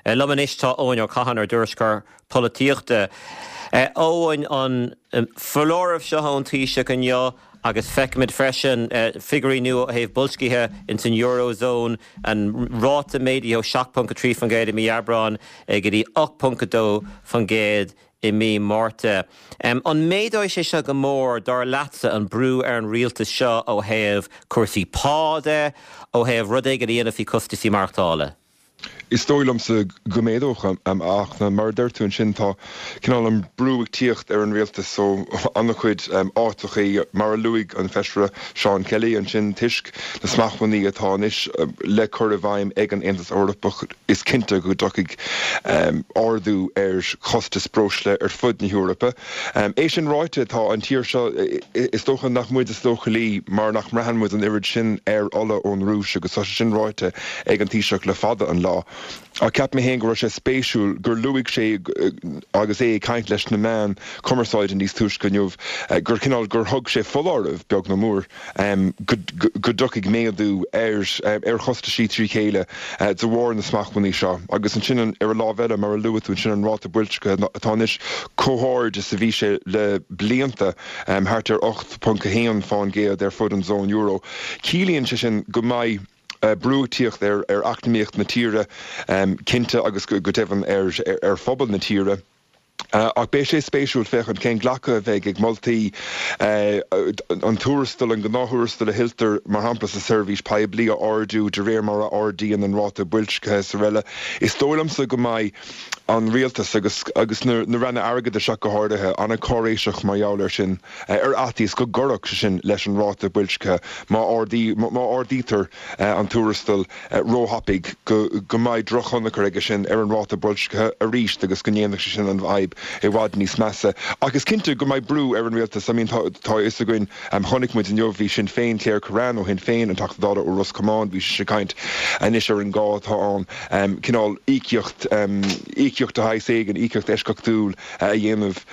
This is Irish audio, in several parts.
Liom anois tá Eoin Ó Catháin, ár dtuairisceoir polaitíochta. Eoin, an foláireamh seo ón Taoiseach inniu agus feicimid freisin figiúirí nua ó thaobh boilscithe ins an Eurozone, an ráta méadaithe ó 7.3% i mí Aibreáin go dtí 8.2% i mí Márta. An méadóidh sé seo go mór, dar leatsa, an brú ar an rialtas seo ó thaobh cúrsaí pá de, ó thaobh rud éigin a dhéanamh faoi chostaisí maireachtála? Is dóigh liomsa go méadódh, ach mar a deir tú ansin, tá cineál an brú ag tíocht ar an rialtas ó an-chuid áiteachaí, mar a luaigh an Feisire Seán Kelly ansin, toisc na smachtbhannaí atá anois le cur i bhfeidhm ag an Aontas Eorpach, is cinnte go dtiocfaidh ardú ar chostas breosla ar fud na hEorpa. É sin ráite, tá an tír seo, is dócha nach muid is leochailí mar nach mbraitheann muid an oiread sin ar ola ón Rúis agus tá sé sin ráite ag an Taoiseach le fada an lá. Ach cheap mé féin go raibh sé spéisiúil gur luaigh sé agus é ag caint leis na meáin chumarsáide níos túisce inniu gur cineál gur thug sé foláireamh, beag nó mór, go dtiocfaidh méadú ar chostaisí trí chéile de bharr na smachtbhannaí seo. Agus ansin ar an lámh eile, mar a luaigh tú ansin, an ráta boilscithe atá anois chomh hard is a bhí sé le blianta, thart ar 8.1 fán gcéad ar fud an zóin euro. Ciallaíonn sé sin go mbeidh brú ag tíocht ar eacnamaíocht na tíre, cinnte, agus go deimhin ar phobal na tíre. Ach beidh sé spéisiúil féachaint cén glacadh a bheidh ag moltaí an tuarastal, an gnáth-thuarastal a thuilltear, mar shampla, sa seirbhís poiblí a ardú de réir mar a ardaíonn an ráta boilscithe is araile. Is dóigh liomsa go mbeidh an rialtas, agus agus na ranna airgeadais ach go háirithe, an-cháiréiseach mar gheall air sin, ar fhaitíos go gcuirfeadh sé sin leis an ráta boilscithe má ardaítear an tuarastal. róthapaidh, go mbeidh drochthionchar aige sin ar an ráta boilscithe arís agus go ndéanfadh sé sin an fhadhb i bhfad níos measa. Ach is cinnte go mbeidh brú ar an rialtas. I mean tá a fhios againn, chonaic muid inniu, bhí Sinn Féin, Claire Kerrane ó Shinn Féin, an Teachta Dála ó Ros Comáin, bhí sise ag caint anois ar an gá atá ann cineál íocaíocht, íocaíocht de shaghas éigin, íocaíocht eisceachtúil a dhéanamh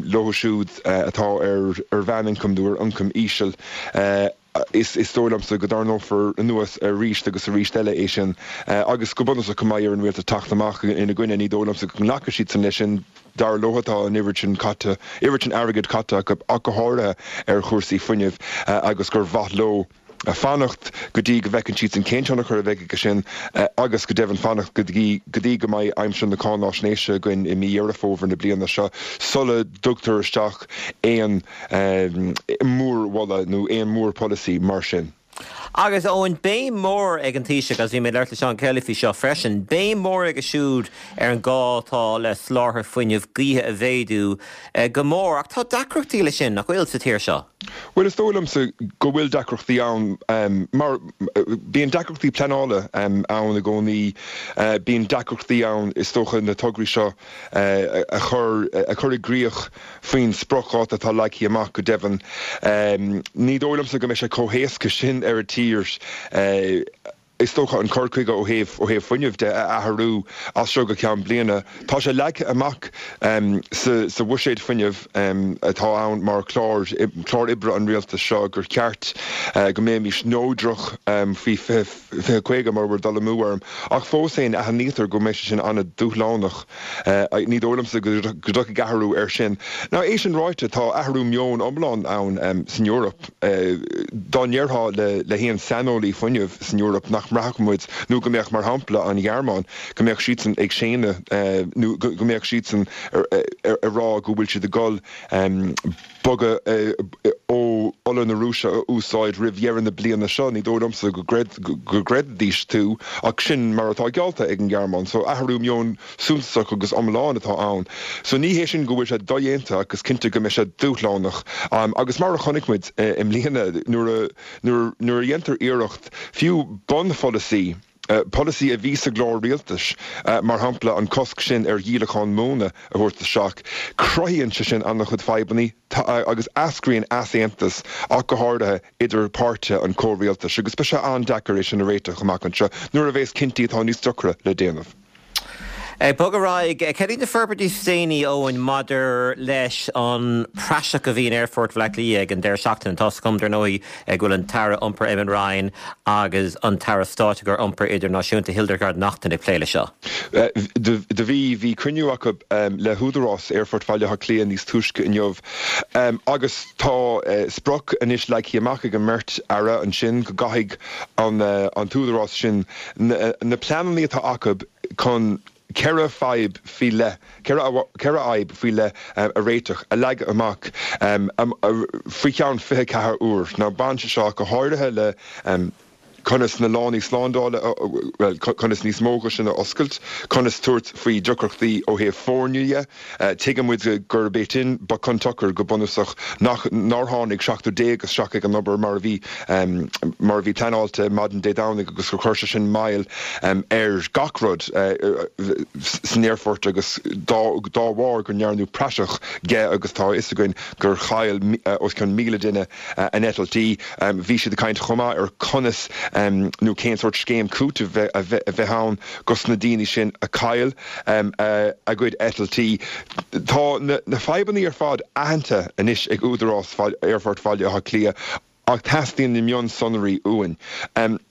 leo siúd atá ar mheánioncam nó ar ioncam íseal. Is dóigh liomsa go dtarraingeofar anuas arís agus arís eile é sin agus go bunúsach go mbeidh ar an rialtas teacht amach ina gcoinne. Ní dóigh liomsa go nglacfaidh siadsan leis sin. Dar leo tá an oiread sin caite, oiread sin airgid caite acu ach go háirithe ar chúrsaí fuinnimh agus gur mhaith leo fanacht go dtí go bhfeiceann siadsan cén tionchar a bheidh aige sin agus go deimhin fanacht go dtí go dtí go mbeidh aimsir na cáináisnéise againn i mí Dheireadh Fómhair na bliana seo sula dtugtar isteach aon mhórmholadh nó aon mhórpholasaí mar sin. Agus Eoin, béim mhór ag an Taoiseach, agus bhí mé ag labhairt le Seán Kelly faoi seo freisin, béim mhór aige siúd ar an gá atá le soláthar fuinnimh gaoithe a mhéadú go mór. Ach tá deacrachtaí leis sin, nach bhfuil, sa tír seo? Bhuel, is dóigh liomsa go bhfuil deacrachtaí ann, mar bíonn deacrachtaí pleanála ann i gcónaí, bíonn deacrachtaí ann, is dócha, na tograí seo a chur a chur i gcrích faoin spriocdháta atá leagtha amach go deimhin. Ní dóigh liomsa go mbeidh sé chomh héasca sin ar an tír, is dócha, an cur chuige ó thaobh ó thaobh fuinnimh de a athrú as seo go ceann bliana. Tá sé leagtha amach sa sa bhuiséad fuinnimh atá ann mar chlár clár oibre an rialtais seo gur cheart go mbeimis neodrach faoi 2050 mura bhfuil dul amú orm. Ach fós féin, aithnítear go mbeidh sé sin an-dúshlánach. Ní dóigh liomsa go dtiocfaidh athrú air sin. Now, é sin ráite, tá athrú meoin iomlán ann san Eoraip. Dá ndéarfá le haon saineolaí fuinnimh san Eoraip nach mbraithfeadh muid, nó go mbeadh, mar shampla, an Ghearmáin, go mbeadh siadsan ag séanadh nó go mbeadh siadsan ag rá go bhfuil siad ag dul bogadh ó ola na Rúise a úsáid roimh dheireadh na bliana seo. Ní dóigh liomsa go gcreidfidís tú, ach sin mar atá geallta ag an nGearmáin. So athrú meoin suntasach agus iomlán atá ann. So ní hé sin go bhfuil sé dodhéanta ach is cinnte go mbeidh sé dúshlánach. Agus mar a chonaic muid i mbliana, nuair a nuair a dhéantar iarracht fiú bunpholasaí, polasaí a bhí sa gclár rialtais, mar shampla an cosc sin ar dhíolachán móna a thabhairt isteach. Cruthaíonn sé sin an-chuid fadhbannaí agus eascraíonn easaontas, ach go háirithe, idir páirtithe an chomhrialtais agus beidh sé an-deacair é sin a réiteach amach anseo nuair a bheas cinntí atá níos deacra le déanamh. Ag bogadh ar aghaidh, cad iad na forbairtí is déanaí, Eoin, maidir leis an praiseach a bhí in Aerfort Bhaile Átha Cliath ag an deireadh seachtaine? Tá's agam, dar ndóigh, go bhfuil an tAire Iompair Eamon Ryan agus an tAire Stáit ar Iompar Idirnáisiúnta Hildegarde Naughton ag plé leis seo. Do bhí. Bhí cruinniú acu le hÚdarás Aerfort Bhaile Átha Cliath níos túisce inniu agus tá sprioc anois leagtha amach ag an mbeirt Aire ansin go gcaithfidh an t-údarás sin na pleananna atá acu chun 4 fadhb faoi leith, 4 fhadhb faoi leith a réiteach, a leagadh amach faoi cheann 24 uair. Now baineann sé seo go háirithe le conas na lánaí slándála, bhuel, conas níos mó acu sin a oscailt, conas tabhairt faoi deacrachtaí ó thaobh foirne dhe. Tuigeann muid gurb é sin ba chun tsochair go bunúsach nach, nár tháinig 17 isteach ag an obair mar a bhí, mar a bhí pleanáilte maidin Dé Domhnaigh agus gur chuir sé sin moill ar gach rud san aerfort agus dá, dá bharr go ndearnadh praiseach dhe agus tá a fhios againn gur chaill os cionn 1,000 duine a n-eitiltí. Bhí siad ag caint chomh maith ar conas nó cén sórt scéim cúitimh a bheith ann dos na daoine sin a chaill a gcuid eitiltí. Tá na fadhbanna ar fad aitheanta anois ag Údarás Aerfort Bhaile Átha Cliath ach teastaíonn na mionsonraí uainn.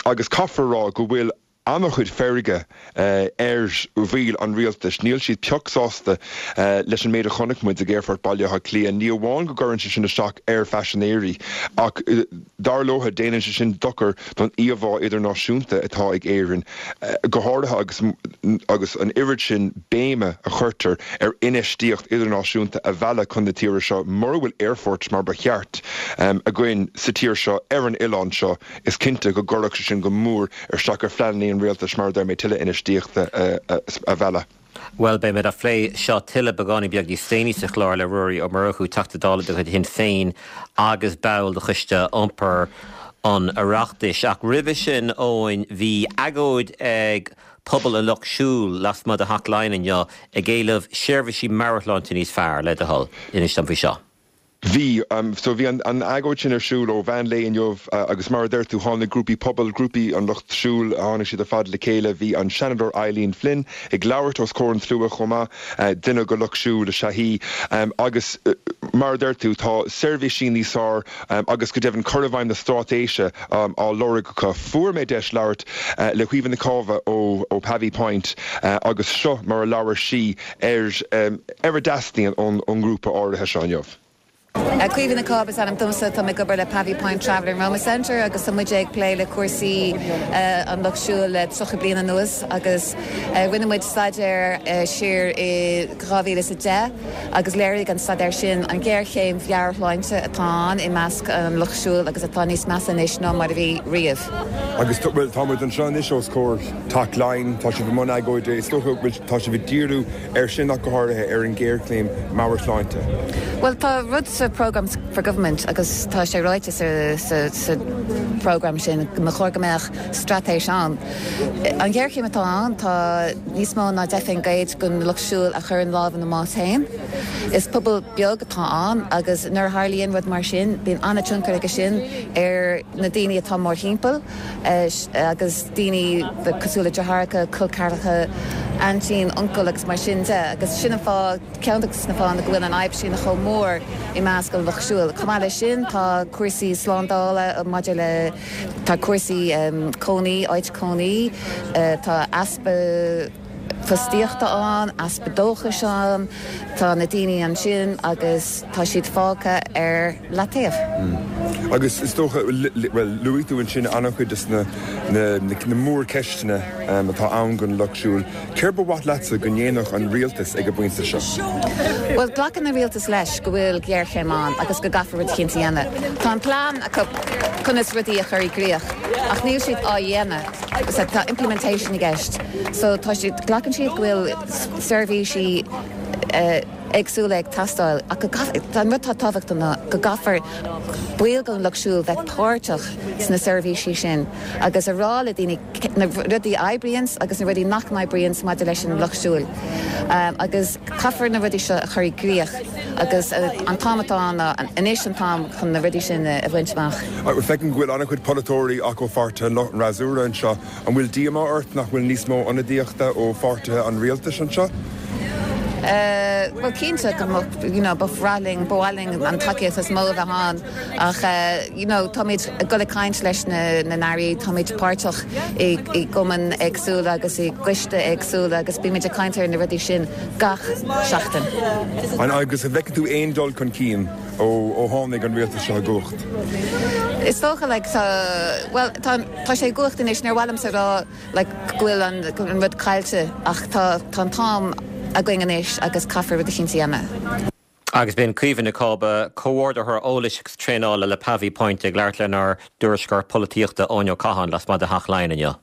Agus caithfear a rá go bhfuil an-chuid feirge ar bhaill an rialtais. Níl siad pioc sásta leis an méid a chonaic muid ag Aerfort Bhaile Átha Cliath. Ní amháin go gcuireann sé sin isteach ar phaisinéirí ach dar leo déanann sé sin dochar don íomhá idirnáisiúnta atá ag Éirinn, go háirithe agus agus an oiread sin béime a chuirtear ar infheistíocht idirnáisiúnta a mhealladh chun na tíre seo. Mura bhfuil aerfort mar ba cheart againn sa tír seo, ar an oileán seo, is cinnte go gcuirfeadh sé sin go mór isteach ar phleananna an rialtais, mar a deir mé, tuilleadh infheistíochta a mhealladh. Bhuel, beimid á phlé seo tuilleadh beagáinín beag níos déanaí sa chlár le Ruairí Ó Murchú, Teachta Dála de chuid Shinn Féin agus ball de Choiste Iompair an Oireachtais. Ach roimhe sin, Eoin, bhí agóid ag pobal an Lucht Siúil lasmuigh de Theach Laighean inniu ag éileamh seirbhísí meabhairshláinte níos fearr, le do thoil. Inis dom faoi seo. Bhí. So bhí an agóid sin ar siúl ó mheán lae inniu agus mar a deir tú, tháinig grúpaí pobail, grúpaí an lucht siúil, tháinig siad ar fad le chéile. Bhí an Seanadóir Eileen Flynn ag labhairt os comhair an tslua chomh maith, duine den lucht siúil is ea í. Agus mar a deir tú, tá seirbhísí níos fearr agus go deimhin cur i bhfeidhm na straitéise á lorg acu. Fuair mé deis labhairt le Caoimhe Nic Cába ó Pavee Point agus seo mar a labhair sí ar ar a dteastaíonn ón ngrúpa áirithe seo inniu. Caoimhe Nic Cába is ainm domsa, tá mé ag obair le Pavee Point Traveller and Roma Centre agus tá muid ag plé le cúrsaí an lucht siúil le 30 bliain anuas agus rinne muid staidéar siar i 2010 agus léirigh an staidéar sin an ghéarchéim mheabhairshláinte atá ann i measc an lucht siúil agus atá níos measa anois ná mar a bhí riamh. Agus, bhuel, tá muid anseo anois os comhair Teach Laighean, tá sibh i mbun agóide, is dócha go bhfuil, tá sibh ag díriú air sin ach go háirithe, ar an ghéarchéim meabhairshláinte. Bhuel, tá rud sa Programme for Government agus tá sé ráite sa, sa, sa programme sin go mba chóir go mbeadh straitéis ann. An ghéarchéim atá ann, tá níos mó ná 10% den lucht siúil a chuireann lámh ina mbás féin. Is pobal beag atá ann agus nuair a tharlaíonn rud mar sin, bíonn an-tionchar aige sin ar na daoine atá mórthimpeall agus daoine cosúil le deartháireacha, col ceathracha, aintín, uncail agus mar sin de. Agus sin an fáth, ceann de na fáthanna go bhfuil an fhadhb sin chomh mór i measc an lucht siúil. Chomh maith leis sin, tá cúrsaí slándála maidir le, tá cúrsaí cónaí, áit cónaí, tá easpa fostaíochta ann, easpa dóchais ann, tá na daoine ansin agus tá siad fágtha ar leataobh. Agus is dócha, bhuel, luaigh tú ansin an-chuid de na na mórcheisteanna atá ann don Lucht Siúil. Céard ba mhaith leatsa go ndéanfadh an rialtas ag an bpointe seo? Bhuel, glacann an rialtas leis go bhfuil géarchéim ann agus go gcaithfear rud eicínt a dhéanamh. Tá an plean acu conas rudaí a chur i gcrích ach níl siad á dhéanamh. So tá implementation i gceist. So tá siad, glacann siad go bhfuil seirbhísí éagsúla ag teastáil ach go gcaithfear, an rud atá tábhachtach ná go gcaithfear baill den lucht siúil bheith páirteach sna seirbhísí sin agus a rá le daoine na rudaí a oibríonns agus na rudaí nach n-oibríonns maidir leis an lucht siúil agus caithfear na rudaí seo a chur i gcrích. Agus an t-am atá ann ná anois an t-am chun na rudaí sin a bhaint amach. Feicim go bhfuil an-chuid polaiteoirí ach ó pháirtithe an lucht fhreasúra anseo. An bhfuil díomá ort nach bhfuil níos mó ionadaíochta ó pháirtithe an rialtais anseo? Bhuel, cinnte go mbeadh, you know, ba bhreá linn, ba mhaith linn an tacaíocht is mó a bheith ann ach, you know, táimid ag dul ag caint leis na n-airí, táimid páirteach i gcumainn éagsúla agus i gcoiste éagsúla agus bímid ag caint ar na rudaí sin gach seachtain. Agus an bhfeiceann tú aon dul chun cinn ó tháinig an rialtas seo i gcumhacht? Is dócha, like, tá, bhuel, tá, tá sé i gcumhacht anois, níor mhaith liomsa a rá, like, go bhfuil an, an rud caillte ach tá, tá an t-am againn anois agus caithfear rud eicínt a dhéanamh. Agus b'in Caoimhe Nic Cába, Comhordaitheoir Eolais agus Traenála le Pavee Point ag labhairt lenár dtuairisceoir polaitíochta Eoin Ó Catháin lasmuigh de Theach Laighean inniu.